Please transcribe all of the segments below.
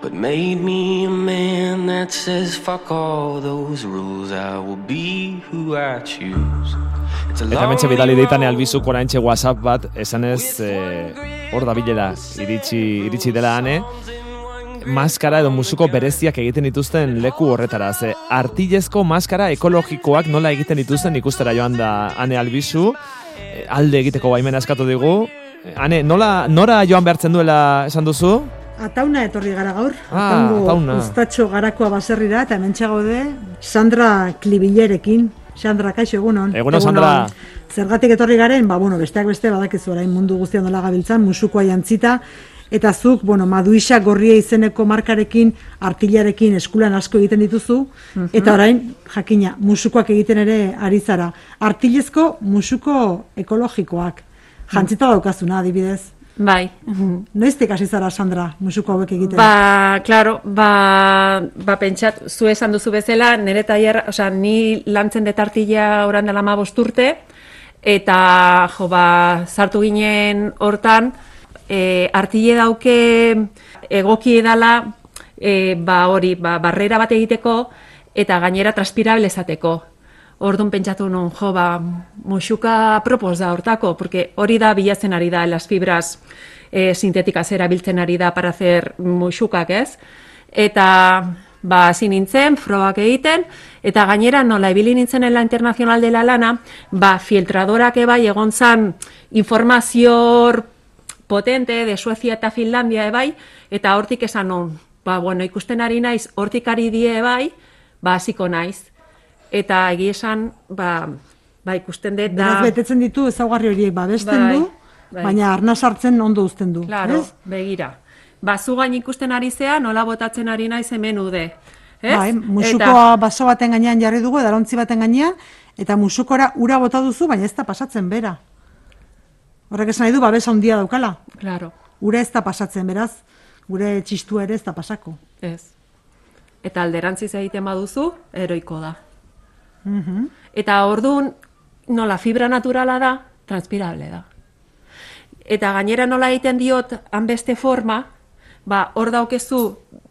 but made me a man that says fuck all those rules. I will be who I choose. Eta mentxe bidali deitane albizuk oraintxe WhatsApp bat, esanez hor da bilela iritsi dela ane, maskara edo musuko bereziak egiten dituzten leku horretara. Ze artilezko maskara ekologikoak nola egiten dituzten ikustera joan da ane albizu, alde egiteko baimena eskatu digu. Ane, nora joan behartzen duela esan duzu? Atauna etorri gara gaur. Atauna. Ustatxo garakoa baserrira eta hementxe gaude Sandra Klibillerekin. Sandra, kaixo, egunon. Egunon, Sandra. Zergatik etorri garen, besteak beste badakizu orain mundu guztian nola gabiltzan, musukoa jantzita, eta zuk, Maduisa Gorria izeneko markarekin, artillarekin eskulan asko egiten dituzu, eta orain, jakina, musukoak egiten ere ari zara. Artillezko musuko ekologikoak. Jantzita daukazuna, adibidez. Bai. Noiztik hasi zara, Sandra, musuko hauek egiten? Claro, pentsat, zu esan duzu bezala, nire tailer, ni lantzen dut artilla oran dela 15 urte, eta sartu ginen hortan, artille dauke egoki edala, barrera bat egiteko, eta gainera transpirable esateko. Orduan pentsatu nun, musuka propos da hortako, porque hori da bilatzen ari da, las fibras sintéticas erabiltzen ari da para hacer musukak, ez? Eta hasi nintzen, frogak egiten, eta gainera nola ibili nintzen en la Internacional de la Lana, filtradorak ebai egon zan informazio potente de Suecia eta Finlandia ebai, eta hortik esan nun, ikusten ari naiz, hortik ari die ebai, hasiko naiz. Eta egia esan, ikusten dut da... Beraz betetzen ditu ezaugarri horiek babesten du, baina arnaz hartzen ondo uzten du. Claro, begira. Zu gain ikusten ari zea, nola botatzen ari naiz hemen ude. Musukoa baso baten gainean jarri dugu, edarontzi baten gainean, eta musukora ura bota duzu, baina ez da pasatzen bera. Horrek esan nahi du, babesa handia daukala. Claro. Ura ez da pasatzen, beraz, gure txistua ere ez da pasako. Ez. Eta alderantziz egiten baduzu, eroiko da. Eta orduan, nola fibra naturala da, transpirable da. Eta gainera nola egiten diot hanbeste forma, hor daukezu,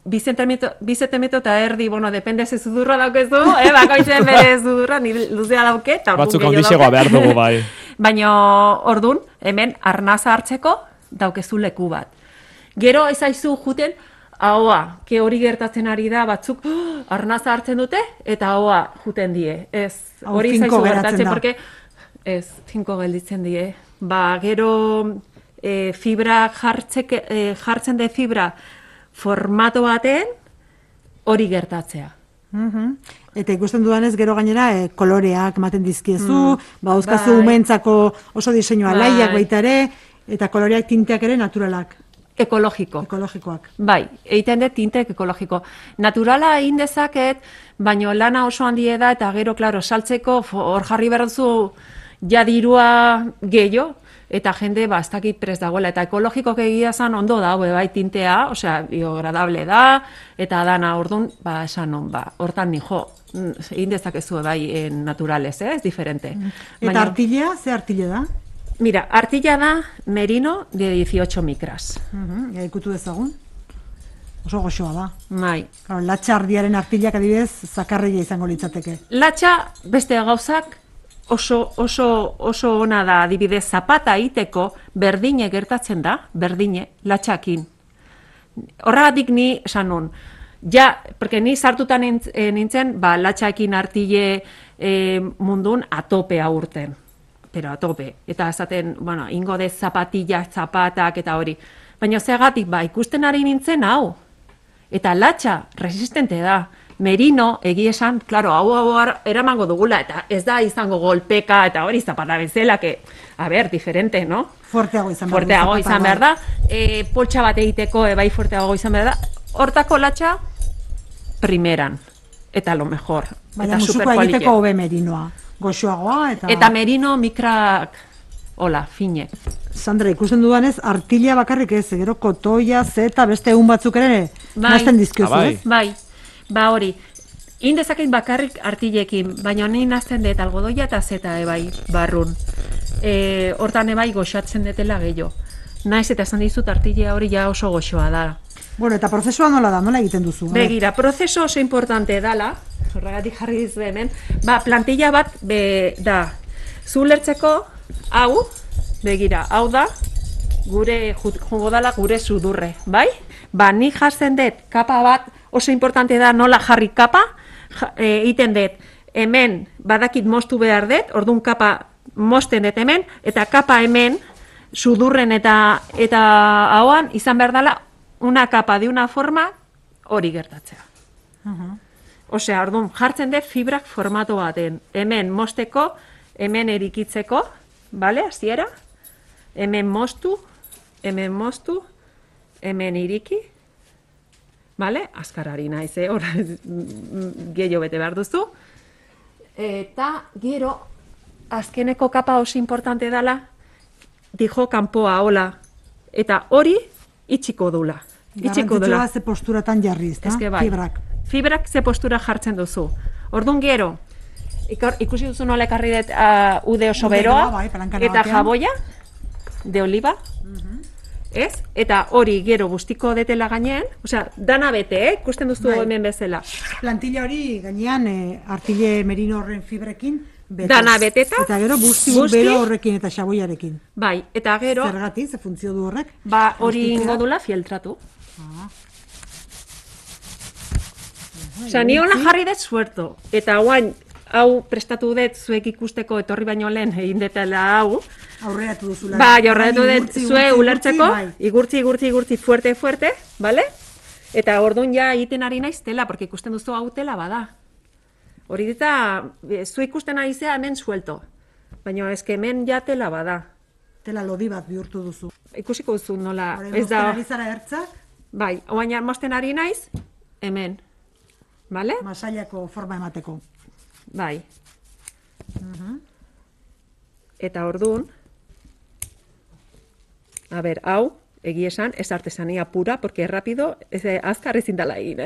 2 zentimetro eta erdi, depende ze zudurra daukezu, bakoitzen bere zudurra, ni luzea dauke, eta orduan batzuk handixegoa behar dugu, bai. Baina orduan, hemen arnaza hartzeko, daukezu leku bat. Gero ezaizu juten, ahoa, hori gertatzen ari da, batzuk arnaza hartzen dute, eta ahoa juten die. Ez, hori zaizu gertatzen, porque ez, tinko gelditzen die. Gero fibra jartzen de fibra formato baten, hori gertatzea. Eta ikusten dudanez, gero gainera koloreak ematen dizkiezu, dauzkazu umentzako oso diseinua laiak baita ere, eta koloreak tinteak ere naturalak. Ekologikoak. Bai, egiten dut tintek ekologiko. Naturala egin dezaket, baina lana oso handia da, eta gero, saltzeko, hor jarri berduzu jadirua gehiago, eta jende, ez dakit prest dagoela. Eta ekologikoak egia zan ondo da, bai tintea, biodegradable da, eta dana orduan, esan non, hortan nijo, egin dezakezu bai naturales, ez diferente. Eta artillea, ze artille da? Mira, artilla da merino de 18 micras. Ikutu dezagun. Oso goxoa da. Bai. Latxa ardiaren artillak adibidez zakarreia izango litzateke. Latxa beste gauzak oso ona da, adibidez zapata egiteko berdine gertatzen da, latxakin. Horregatik ni esan nun, porque ni sartuta nintzen, latxakin artille mundun atopea urten. Pero a tope. Eta esaten, ingo de zapatak eta hori. Baina zegatik, ikusten ari nintzen hau. Eta latxa, resistente da. Merino, egia esan, hau eramango dugula, eta ez da izango golpeka, eta hori zapata bezala, diferente, no? Fuerteago izan behar da. Poltsa bat egiteko, bai fuerteago izan behar da. Hortako latxa, primeran. Eta lo mejor. Baina musuko egiteko hobe merinoa. Goxoagoa eta merino mikrak fine. Sandra, ikusten dudanez, artilla bakarrik ez, gero kotoia, zeta, beste egun batzuk ere nazten dizkiozu, ez? Bai, hori. Indezakit bakarrik artillekin, baina ni nazten dut algodoia eta zeta ebai barrun. Hortan ebai goxatzen detela gehiago. Naiz eta esan dizut artillea hori ja oso goxoa da. Bueno, eta prozesua nola da, nola egiten duzu? Begira, prozeso oso importante dala, horregatik jarri dizu hemen, plantilla bat da, zu ulertzeko, hau, begira, hau da, gure, jungo dala gure sudurre, bai? Nik jartzen dut, kapa bat, oso importante da nola jarri kapa, egiten dut, hemen badakit moztu behar dut, orduan kapa mozten dut hemen, eta kapa hemen, sudurren eta hauan, izan behar dela, una kapa de una forma, hori gertatzea. Osea, orduan, jartzen dut fibrak formato baten. Hemen mozteko, hemen erikitzeko, bale, hasiera? Hemen moztu, hemen iriki, bale? Azkarari naiz, hor, gehiago bete behar duzu. Eta, gero, azkeneko kapa oso importante dela, dijo kanpoa, hola. Eta hori, itxiko dula. Garrantzitsua ze posturatan jarri, ezta? Bai. Fibrak ze postura jartzen duzu. Orduan gero, ikusi duzu nola ekarri dut ude oso beroa, bai, eta jaboia, de oliva, ez? Eta hori gero guztiko detela gainean, osea, dana bete, ikusten duzu hemen bezala. Plantilla hori gainean artile merino horren fibrekin, dana beteta. Eta gero busti bero horrekin eta xaboiarekin. Bai, eta gero... Zergatik, ze funtzio du horrek? Hori ingo dula fieltratu. Osea, ni hola jarri dut suerto. Eta guain, hau prestatu dut zuek ikusteko etorri baino lehen egin detela hau. Aurreratu duzula. Bai, aurreratu dut zuek ulertzeko. Igurtzi, fuerte, bale? Eta orduan ja egiten ari naiz tela, porque ikusten duzu hau tela bada. Hori dita, zu ikusten ari zea hemen suelto. Baina eske hemen ja tela bada. Tela lodi bat bihurtu duzu. Ikusiko duzu nola. Ez da. Ari zara ertzak? Bai, oain mozten ari naiz, hemen. Bale? Masailako forma emateko. Bai. Eta orduan, hau, egia esan, ez artesania pura, porque rápido, azkar ezin dala egin,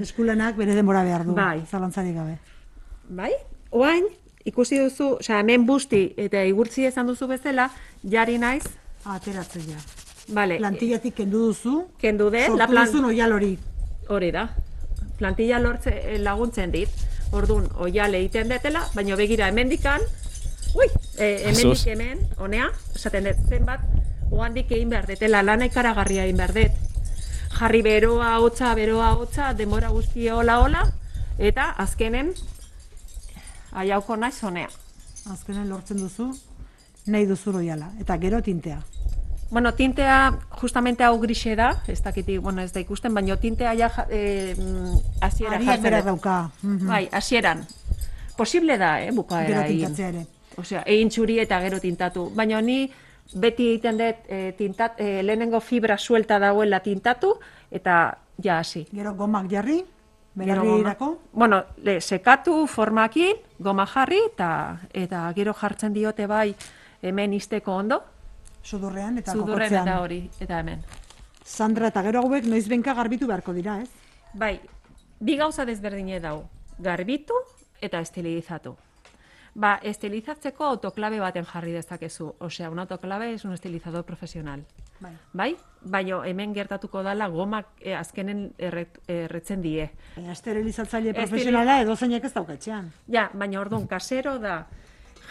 Eskulanak bere denbora behar du, bai. Zalantzarik gabe. Bai, oain, ikusi duzu, hemen busti eta igurtzi esan duzu bezala, jari naiz. Ateratzen ja. Vale. Plantillatik kendu duzu. Kendu de. Sortu duzun oial hori. Hori da. Plantilla laguntzen dit. Orduan, oial egiten detela, baina begira hemendikan, hemendik hemen, honea, esaten dut zenbat, oandik egin behar detela, lana ikaragarria egin behar det. Jarri beroa, hotza, denbora guzti hola, eta azkenen, aiauko naiz honea. Azkenen lortzen duzu, nahi duzu oiala, eta gero tintea. Bueno, tintea, justamente hau grixe da, ez dakiti, ez da ikusten, baina tintea ja hasiera jartzen berak dauka. Bai, hasieran. Posible da, bukaera egin. Gero tintatzea ere. Osea, egin txuri eta gero tintatu. Baina ni beti egiten dut lehenengo fibra suelta dagoela tintatu, eta ja hasi. Gero gomak jarri, belarrirako? Bueno, sekatu formakin, goma jarri, eta gero jartzen diote bai hemen izteko ondo. Sudurrean eta kokotzean. Sudurren eta hori, eta hemen. Sandra, eta gero hauek noizbenka garbitu beharko dira, ez? Bai, bi gauza desberdine dau. Garbitu eta estilizatu. Estilizatzeko autoklabe baten jarri dezakezu. Osea, un autoklabe es un estilizador profesional. Bai? Baina hemen gertatuko dala gomak azkenen erretzen die. Baina esterilizatzaile profesionala edo zeinek ez daukatxean. Ja, baina orduan kasero da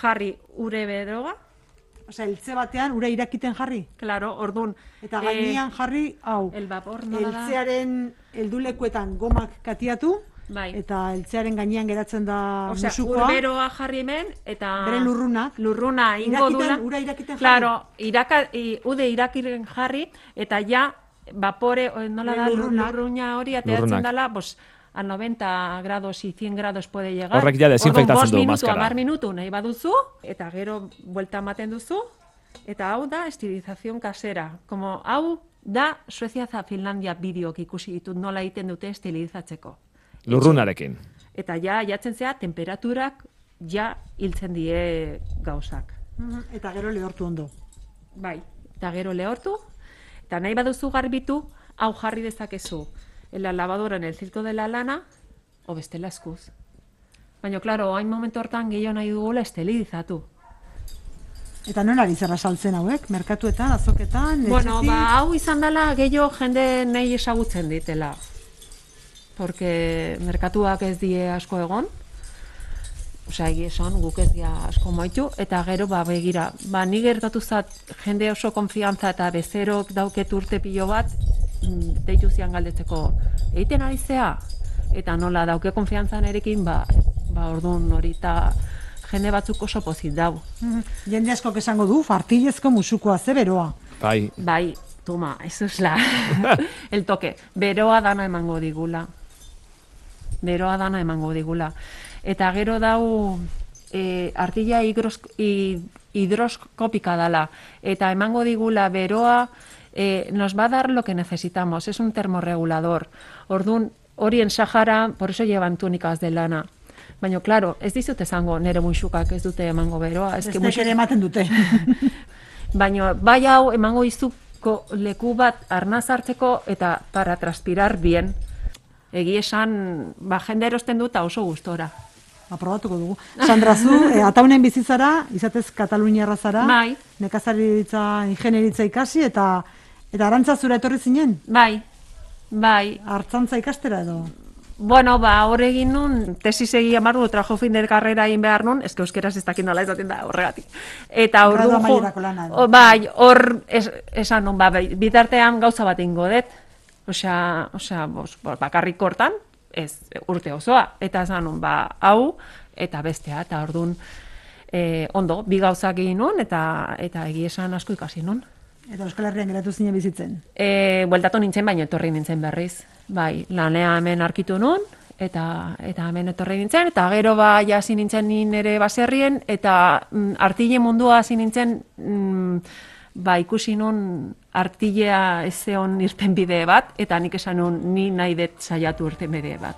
jarri ure beroga. Osea, eltze batean ura irakiten jarri? Claro, orduan. Eta gainean jarri, hau. El vapor nola da. Eltzearen heldulekuetan gomak katiatu. Bai. Eta eltzearen gainean geratzen da musukoa. Osea, urberoa jarri hemen, eta... Bere lurrunak. Lurruna ingo dula. Ura irakiten jarri. Claro, ude irakiren jarri, eta ja, vapore, nola da, lurruna hori, ateratzen dela, a 90 grados y 100 grados puede llegar. Horrek ja desinfektatzen du maskara. 10 minutu nahi baduzu, eta gero buelta ematen duzu, eta hau da estilización kasera. Como hau da Suezia eta Finlandia bideok ikusi ditut nola egiten dute estilizatzeko. Lurrunarekin. Eta ja, jatzen zea, temperaturak ja hiltzen die gauzak. Eta gero lehortu ondo. Bai, eta gero lehortu, eta nahi baduzu garbitu, hau jarri dezakezu. En la lavadora, en el filtro de la lana, o bestela eskuz. Baina, klaro, hain momentu hortan gehiago nahi dugula estelizatu. Eta non ari zerra saltzen hauek? Merkatuetan, azoketan, Bueno, etxetik? hau izan dela gehiago jende nahi ezagutzen ditela. Porque merkatuak ez die asko egon. Osea, egia esan, guk ez dia asko moitu, eta gero, begira, ni gertatu zat jende oso konfiantza eta bezerok dauket urte pilo bat, deitu zian galdetzeko, egiten ari zea? Eta nola dauke konfiantzan erekin, orduan hori, eta jende batzuk oso pozik dau. Jende asko esango du, artilezko musukoa ze beroa. Bai, toma, eso es el toque. Beroa dana emango digula. Eta gero dau artilla hidroskopika dala. Eta emango digula beroa, nos va a dar lo que necesitamos. Es un termorregulador. Orduan, hori en Sahara, por eso llevan túnicas de lana. Baina, claro, ez dizut esango nere muixukak ez dute emango beroa. Bestek ere ematen dute. Baina, bai hau emango izuko leku bat arnaz hartzeko eta para transpirar bien. Egi esan, jende erosten dut oso gustora. Aprobatuko dugu. Sandra, zu, ataunen bizitzara, izatez Kataluniarra zara, Bai. nekazaritza, ingenieritza ikasi, eta arantza zura etorri zinen? Bai. Artzantza ikastera edo? Bueno, hor egin nun, tesis egi amarru, trabajo fin de carrera egin behar nun, eske euskeraz ez dakit nola izaten da horregatik. Eta Gradu amaierako lana edo. Bai, hor esan nun, bitartean gauza bat ingo dut. Osea, bakarrik hortan, ez urte osoa. Eta esan nun, hau, eta bestea, eta orduan, ondo, bi gauzak egin nun, eta egi esan asko ikasi nun. Eta Euskal Herrian geratu zinen bizitzen? Bueltatu nintzen, baina etorri nintzen berriz. Bai, lanea hemen arkitu nun, eta hemen etorri nintzen, eta gero hasi nintzen nire baserrien, eta artile mundua hasi nintzen, ikusi nun artilea ez zeon irtenbide bat, eta nik esan nun ni nahi dut saiatu irtenbide bat.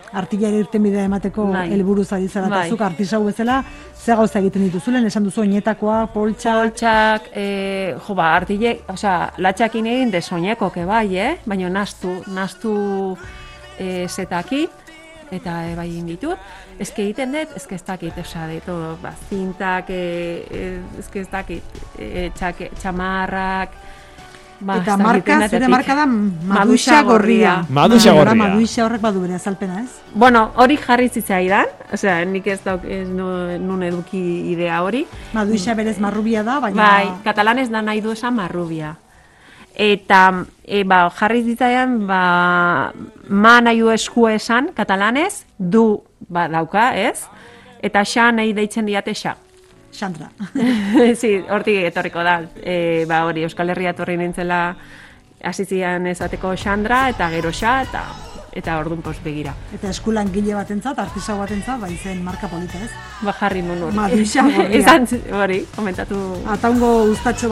Artilea irtenbidea emateko helburuz ari zara, eta zuk artisau bezala, ze gauza egiten dituzulen, esan duzu oinetakoak, poltsak, artile, latxakin egin de soineko bai, baina nastu zetakit, eta bai inditut, ezke egiten dut, ezke ez dakit, zintak, ezke ez dakit, txamarrak, eta marka, zure marka da Maduixa gorria. Maduixa gorria. Maduixa horrek badu bere azalpena, ez? Bueno, hori jarri zitzaidan, nik ez nun eduki idea hori. Maduixa berez marrubia da, baina... Bai, katalanez da nahi du esan marrubia. Eta jarri zitzaidan, ma nahi du eskua esan katalanez, du dauka, ez? Eta xa nahi deitzen diate xa. Xandra. Hortik etorriko da. Hori, Euskal Herria etorri nintzela hasizian esateko Xandra, eta gero xa, eta orduan begira. Eta eskulan gile batentzat, artisau batentzat, zen marka polita, ez? Jarri nun hori. Maduixa gorria. Esan hori, komentatu. Ataungo Uztatxo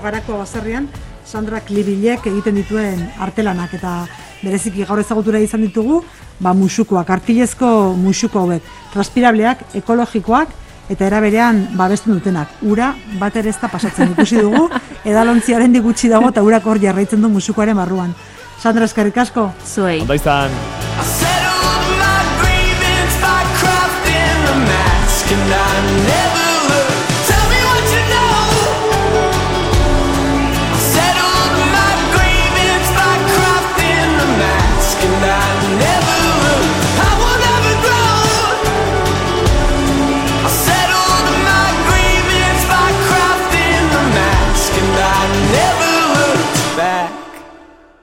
Garako baserrian, Sandra Klibilek egiten dituen artelanak, eta bereziki gaur ezagutura izan ditugu, musukoak, artilezko musuko hauek, transpirableak, ekologikoak, eta era berean babesten dutenak. Ura bat ere ez da pasatzen ikusi dugu, edalontziaren gutxi dago eta urak hor jarraitzen du musukoaren barruan. Sandra, eskerrik asko. Zuei. Ondo izan.